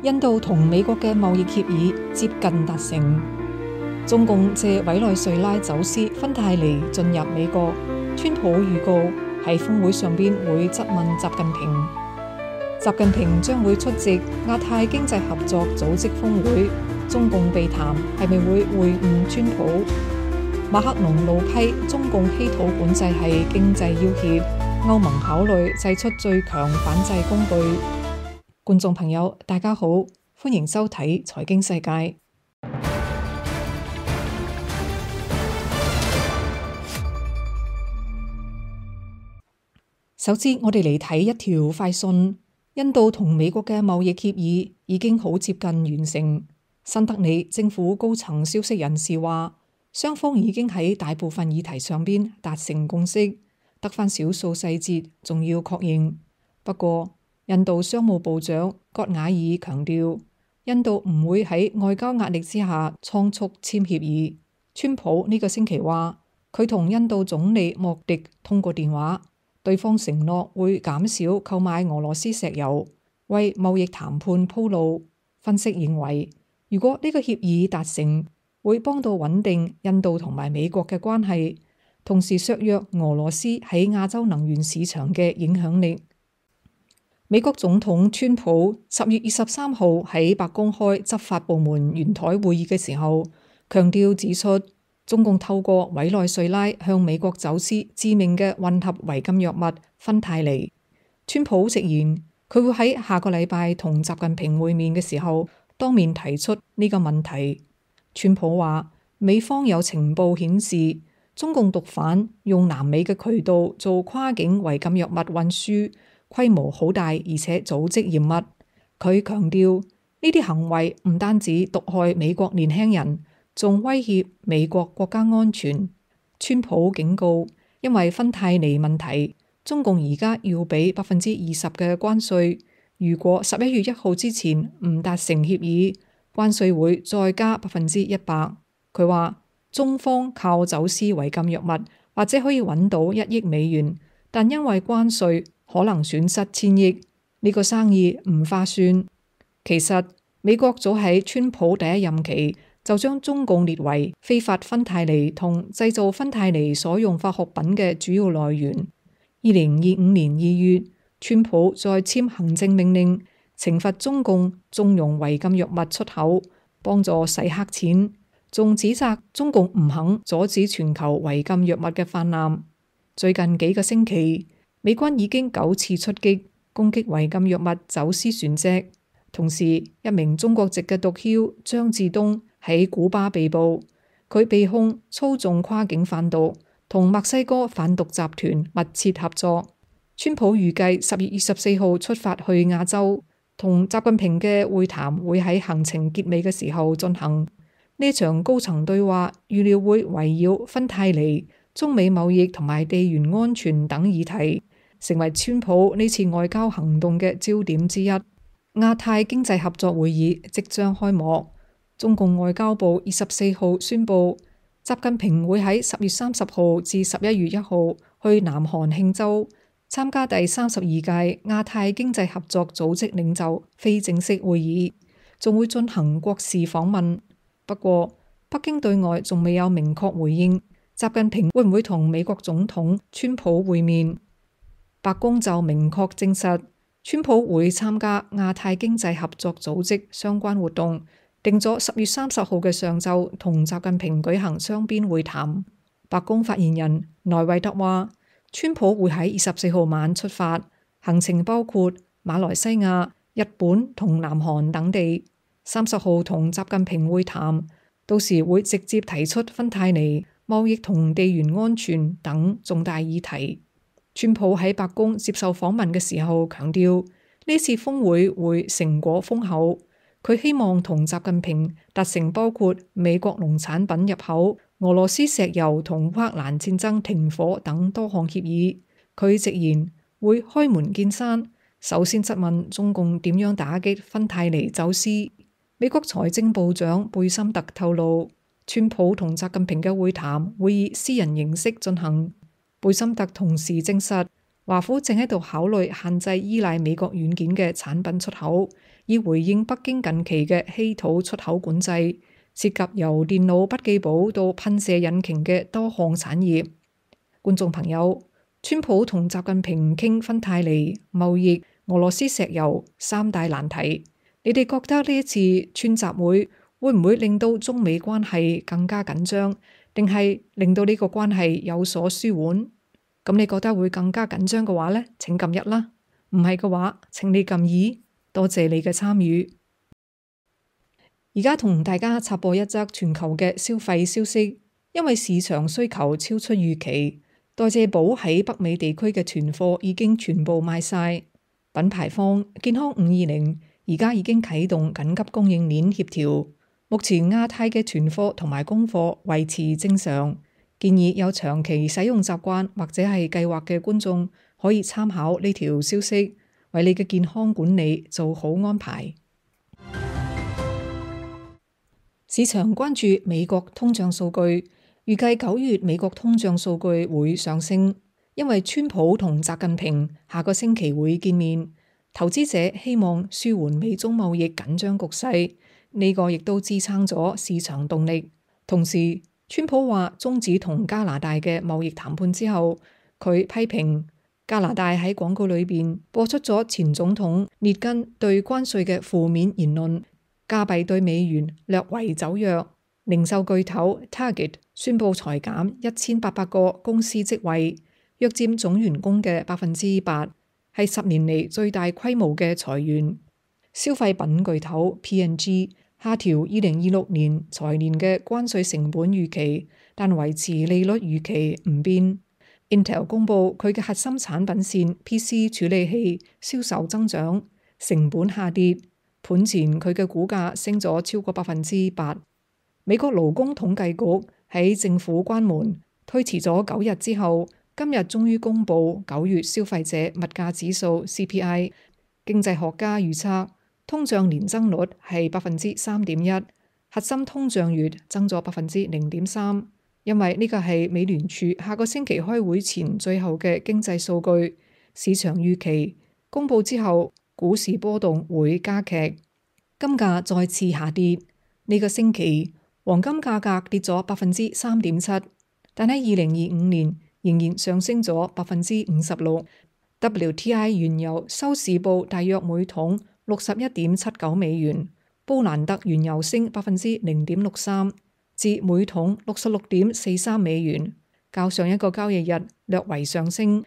印度同美國嘅貿易協議接近達成，中共借委內瑞拉走私芬太尼進入美國，川普預告喺峰會上邊會質問習近平。習近平將會出席亞太經濟合作組織峰會，中共被談係咪會會晤川普？馬克龍怒批中共稀土管制係經濟要挾，歐盟考慮祭出最強反制工具。觀眾朋友，大家好，歡迎收睇財經世界。首先，我哋嚟睇一條快訊：印度同美國嘅貿易協議已經好接近完成。新德里政府高層消息人士話，雙方已經喺大部分議題上邊達成共識，得返少數細節仲要確認。不過，印度商務部長葛瓦爾強調，印度唔會喺外交壓力之下倉促簽協議。川普呢個星期話，佢同印度總理莫迪通過電話，對方承諾會減少購買俄羅斯石油，為貿易談判鋪路。分析認為，如果呢個協議達成，會幫到穩定印度同埋美國嘅關係，同時削弱俄羅斯喺亞洲能源市場嘅影響力。美國總統川普10月23號喺白宮開執法部門圓台會議嘅時候，強調指出，中共透過委內瑞拉向美國走私致命嘅混合違禁藥物芬太尼。川普直言，佢會喺下個禮拜同習近平會面嘅時候，當面提出呢個問題。川普話，美方有情報顯示，中共毒販用南美嘅渠道做跨境違禁藥物運輸，規模好大，而且組織嚴密。佢強調，呢啲行為唔單止毒害美國年輕人，仲威脅美國國家安全。川普警告，因為芬太尼問題，中共而家要俾20%嘅關稅。如果11月1號之前唔達成協議，關稅會再加100%。佢話，中方靠走私違禁藥物或者可以揾到1億美元，但因為關稅可能損失1000億，呢個生意唔划算。其實美國早喺川普第一任期就將中共列為非法芬太尼同製造芬太尼所用化學品嘅主要來源。2025年2月，川普再簽行政命令，懲罰中共縱容違禁藥物出口，幫助洗黑錢，仲指責中共唔肯阻止全球違禁藥物嘅氾濫。最近幾個星期，美軍已經9次出擊，攻擊違禁藥物走私船隻。同時，一名中國籍嘅毒梟張志東喺古巴被捕，佢被控操縱跨境販毒，同墨西哥販毒集團密切合作。川普預計10月24號出發去亞洲，同習近平嘅會談會喺行程結尾嘅時候進行。呢場高層對話預料會圍繞芬太尼、中美貿易同埋地緣安全等議題，成為川普呢次外交行動嘅焦點之一。亞太經濟合作會議即將開幕，中共外交部24號宣布，習近平會喺10月30號至11月1號去南韓慶州參加第32屆亞太經濟合作組織領袖非正式會議，仲會進行國事訪問。不過，北京對外仲未有明確回應，習近平會唔會同美國總統川普會面？白宮就明確證實，川普會參加亞太經濟合作組織相關活動，定咗10月30號嘅上晝同習近平舉行雙邊會談。白宮發言人萊維特話，川普會喺24號晚出發，行程包括馬來西亞、日本同南韓等地。30號同習近平會談，到時會直接提出芬太尼、貿易同地緣安全等重大議題。川普喺白宮接受訪問嘅時候強調，呢次峰會會成果豐厚，佢希望同習近平達成包括美國農產品入口、俄羅斯石油同烏克蘭戰爭停火等多項協議。佢直言會開門見山，首先質問中共點樣打擊芬太尼走私。美國財政部長貝森特透露，川普同習近平嘅會談會以私人形式進行。貝森特同時證實，華府正喺度考慮限制依賴美國軟件嘅產品出口，以回應北京近期嘅稀土出口管制，涉及由電腦筆記簿到噴射引擎嘅多項產業。觀眾朋友，川普同習近平傾芬太尼、貿易、俄羅斯石油三大難題，你哋覺得呢一次川習會唔會令到中美關係更加緊張，定係令到呢個關係有所舒緩？咁你覺得會更加緊張嘅話呢，請撳1啦；唔係嘅話，請你撳2。多謝你嘅參與。而家同大家插播一則全球嘅消費消息，因為市場需求超出預期，代謝寶喺北美地區嘅存貨已經全部賣晒。品牌方健康520而家已經啟動緊急供應鏈協調，目前亞太嘅存貨同埋供貨維持正常。建議有長期使用習慣或者係計劃嘅觀眾可以參考呢條消息，為你嘅健康管理做好安排。市場關注美國通脹數據，預計9月美國通脹數據會上升，因為川普同習近平下個星期會見面，投資者希望舒緩美中貿易緊張局勢，呢個亦都支撐咗市場動力。同時，川普話終止同加拿大嘅貿易談判之後，佢批評加拿大喺廣告裏邊播出咗前總統列根對關稅嘅負面言論，加幣對美元略為走弱。零售巨頭 Target 宣布裁減1800個公司職位，約佔總員工嘅8%，係10年嚟最大規模嘅裁員。消費品巨頭 P&G 下調2026年財年嘅關稅成本預期，但維持利率預期唔變。Intel 公佈佢嘅核心產品線 PC 處理器銷售增長，成本下跌，盤前佢嘅股價升咗超過8%。美國勞工統計局喺政府關門推遲咗9日之後，今日終於公佈9月消費者物價指數 CPI。經濟學家預測通脹年增率係3.1%，核心通脹月增咗0.3%。因為呢個係美聯儲下個星期開會前最後嘅經濟數據，市場預期公佈之後股市波動會加劇，金價再次下跌。呢個星期黃金價格跌咗3.7%，但喺2025年仍然上升咗56%。WTI 原油收市報大約每桶61.79美元，布蘭特原油升0.63%，至每桶66.43美元，較上一個交易日略為上升。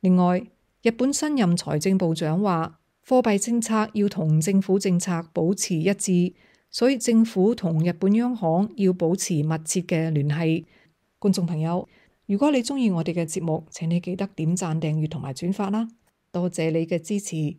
另外，日本新任財政部長話，貨幣政策要同政府政策保持一致，所以政府同日本央行要保持密切嘅聯繫。觀眾朋友，如果你鍾意我哋嘅節目，請你記得點讚、訂閱同埋轉發啦，多謝你嘅支持。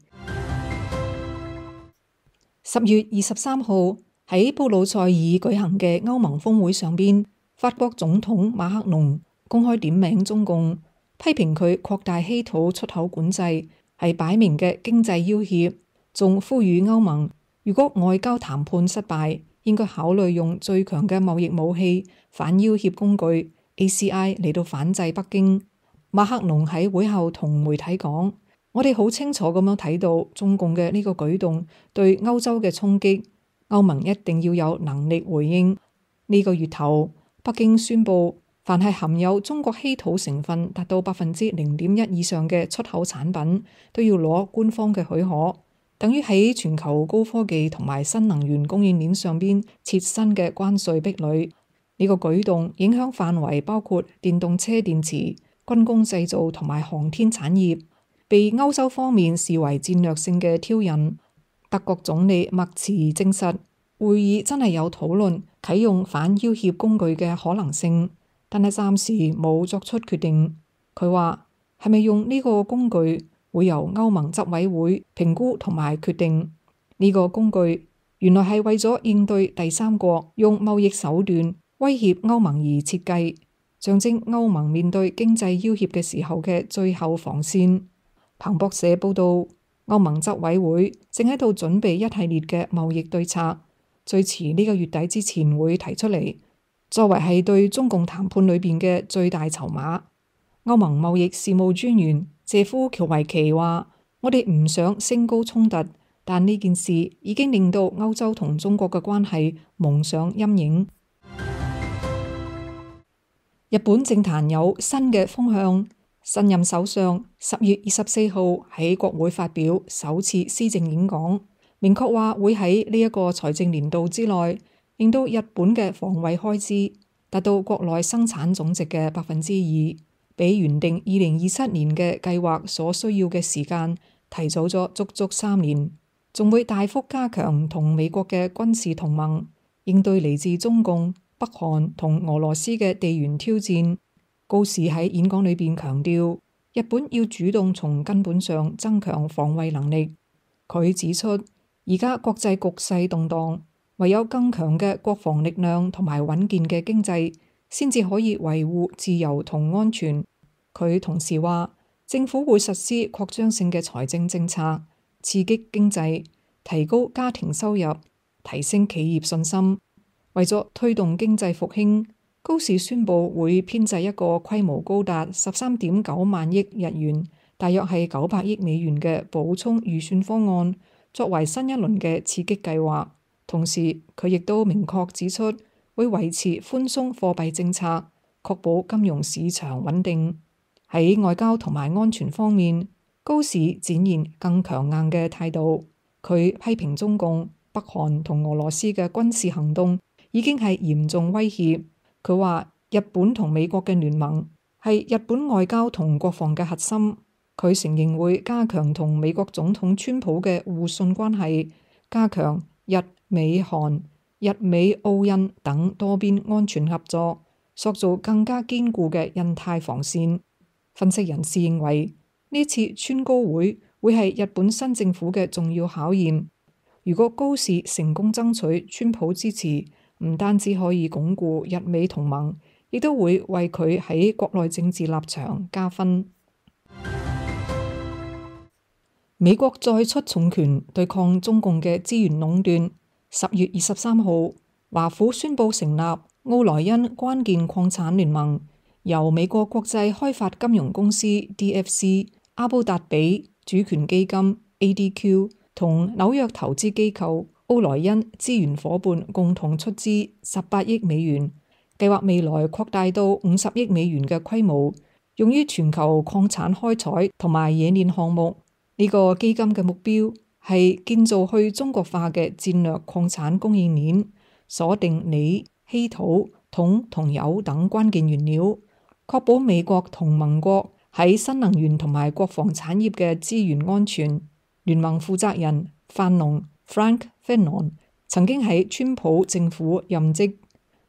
10月23號喺布魯塞爾舉行嘅歐盟峰會上邊，法國總統馬克龍公開點名中共，批評佢擴大稀土出口管制係擺明嘅經濟要挾，仲呼籲歐盟如果外交談判失敗，應該考慮用最強嘅貿易武器反要挾工具 ACI 嚟到反制北京。馬克龍喺會後同媒體講：我哋好清楚咁樣睇到中共嘅呢個舉動對歐洲嘅衝擊，歐盟一定要有能力回應。呢個月頭，北京宣布凡係含有中國稀土成分達到0.1%以上嘅出口產品，都要攞官方嘅許可，等於喺全球高科技同埋新能源供應鏈上邊設新嘅關稅壁壘。呢個舉動影響範圍包括電動車電池、軍工製造同埋航天產業，被歐洲方面視為戰略性嘅挑釁。德國總理默茨證實，會議真係有討論啟用反要挾工具嘅可能性，但係暫時冇作出決定。佢話係咪用呢個工具，會由歐盟執委會評估同埋決定。呢個工具原來係為咗應對第三國用貿易手段威脅歐盟而設計，象徵歐盟面對經濟要挾嘅時候嘅最後防線。彭博社報道，歐盟執委會正喺度準備一系列嘅貿易對策，最遲呢個月底之前會提出嚟，作為係對中共談判裏邊嘅最大籌碼。歐盟貿易事務專員謝夫喬維奇話：我哋唔想升高衝突，但呢件事已經令到歐洲同中國嘅關係蒙上陰影。日本政壇有新嘅風向，新任首相10月24號喺國會發表首次施政演講，明確話會喺呢一個財政年度之內，令到日本嘅防衛開支達到國內生產總值嘅2%，比原定2027年嘅計劃所需要嘅時間提早咗足足3年，仲會大幅加強同美國嘅軍事同盟，應對嚟自中共、北韓同俄羅斯嘅地緣挑戰。高市喺演講裏邊強調，日本要主動從根本上增強防衛能力。佢指出，而家國際局勢動盪，唯有更強嘅國防力量同埋穩健嘅經濟，先至可以維護自由同安全。佢同時話，政府會實施擴張性嘅財政政策，刺激經濟，提高家庭收入，提升企業信心。為咗推動經濟復興，高市宣布會編製一個規模高達13.9萬億日元，大約係900億美元嘅補充預算方案，作為新一輪嘅刺激計劃。同時，佢亦都明確指出會維持寬鬆貨幣政策，確保金融市場穩定。喺外交同埋安全方面，高市展現更強硬嘅態度。佢批評中共、北韓同俄羅斯嘅軍事行動已經係嚴重威脅。佢話日本同美國嘅聯盟係日本外交同國防嘅核心。佢承認會加強同美國總統川普嘅互信關係，加強日美韓、日美澳印等多邊安全合作，塑造更加堅固嘅印太防線。分析人士認為，呢次川高會係日本新政府嘅重要考驗。如果高市成功爭取川普支持，唔單止可以鞏固日美同盟，亦都會為佢喺國內政治立場加分。美國再出重拳對抗中共嘅資源壟斷。10月23號，華府宣布成立奧萊恩關鍵礦產聯盟，由美國國際開發金融公司 DFC、阿布達比主權基金 ADQ 同紐約投資機構奧萊恩資源夥伴共同出資18億美元，計劃未來擴大到50億美元嘅規模，用於全球礦產開採同埋冶煉項目。呢個基金嘅目標係建造去中國化嘅戰略礦產供應鏈，鎖定鋰、稀土、銅同鈾等關鍵原料，確保美國同盟國喺新能源同埋國防產業嘅資源安全。聯盟負責人范農 Frank Fanon 曾經喺川普政府任職。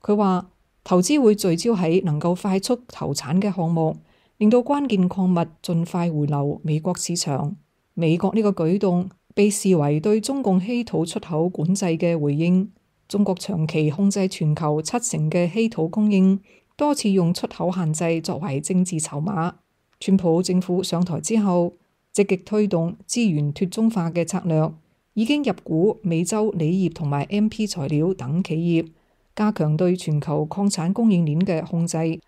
佢話投資會聚焦喺能夠快速投產嘅項目，令到關鍵礦物盡快回流美國市場。美國呢個舉動被視為對中共稀土出口管制嘅回應。中國長期控制全球70%嘅稀土供應，多次用出口限制作為政治籌碼。川普政府上台之後，積極推動資源脱中化嘅策略，已經入股美洲鋰業同埋 MP 材料等企業，加強對全球礦產供應鏈嘅控制。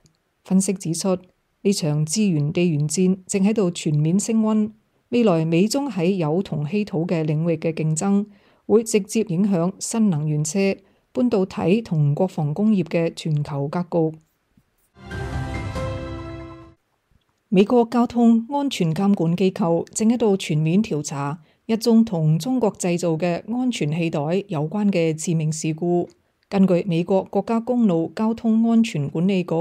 分析指出，呢場資源地緣戰正喺度全面升溫。未來美中喺鈾同稀土嘅領域嘅競爭，會直接影響新能源車、半導體同國防工業嘅全球格局。美國交通安全監管機構正喺度全面調查一宗同中國製造嘅安全氣袋有關嘅致命事故。根據美國國家公路交通安全管理局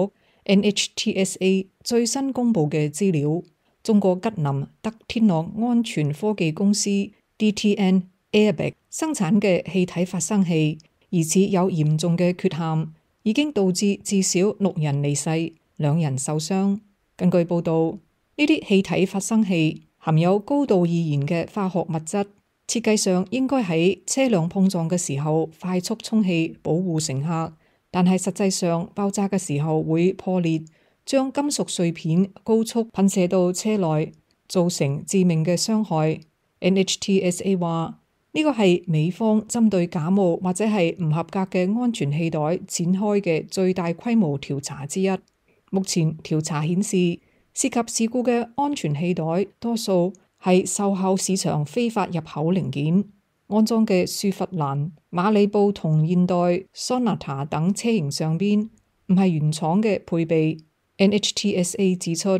NHTSA 最新公布嘅資料，中國吉林德天諾安全科技公司 DTN Airbag 生產嘅氣體發生器疑似有嚴重嘅缺陷，已經導致至少6人離世，2人受傷。根據報道，呢啲氣體發生器含有高度易燃嘅化學物質，設計上應該喺車輛碰撞嘅時候快速充氣保護乘客，但係實際上爆炸嘅時候會破裂，將金屬碎片高速噴射到車內，造成致命嘅傷害。NHTSA 話呢個係美方針對假冒或者係唔合格嘅安全氣袋展開嘅最大規模調查之一。目前調查顯示，涉及事故嘅安全氣袋多數係售後市場非法入口零件，安裝嘅雪佛蘭、馬里布同現代 Sonata 等車型上邊唔係原廠嘅配備。NHTSA 指出，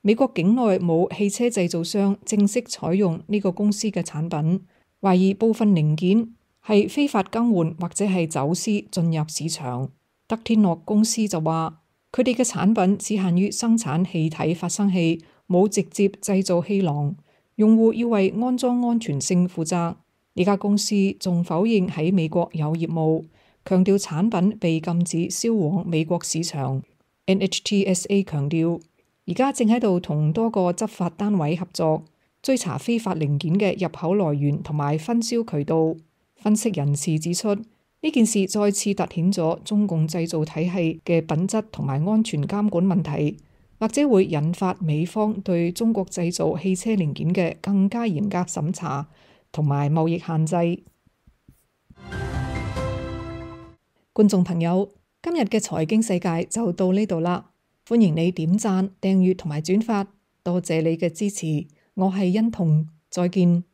美國境內冇汽車製造商正式採用呢個公司嘅產品，懷疑部分零件係非法更換或者係走私進入市場。德天諾公司就話，佢哋嘅產品只限於生產氣體發生器，冇直接製造氣囊，用戶要為安裝安全性負責。呢家公司仲否認喺美國有業務，強調產品被禁止銷往美國市場。NHTSA 強調，而家正喺度同多個執法單位合作，追查非法零件嘅入口來源同埋分銷渠道。分析人士指出，呢件事再次凸顯咗中共製造體系嘅品質同埋安全監管問題，或者會引發美方對中國製造汽車零件嘅更加嚴格審查同埋貿易限制。觀眾朋友，今日嘅財經世界就到呢度啦，歡迎你點讚、訂閱同埋轉發，多謝你嘅支持，我係欣彤，再見。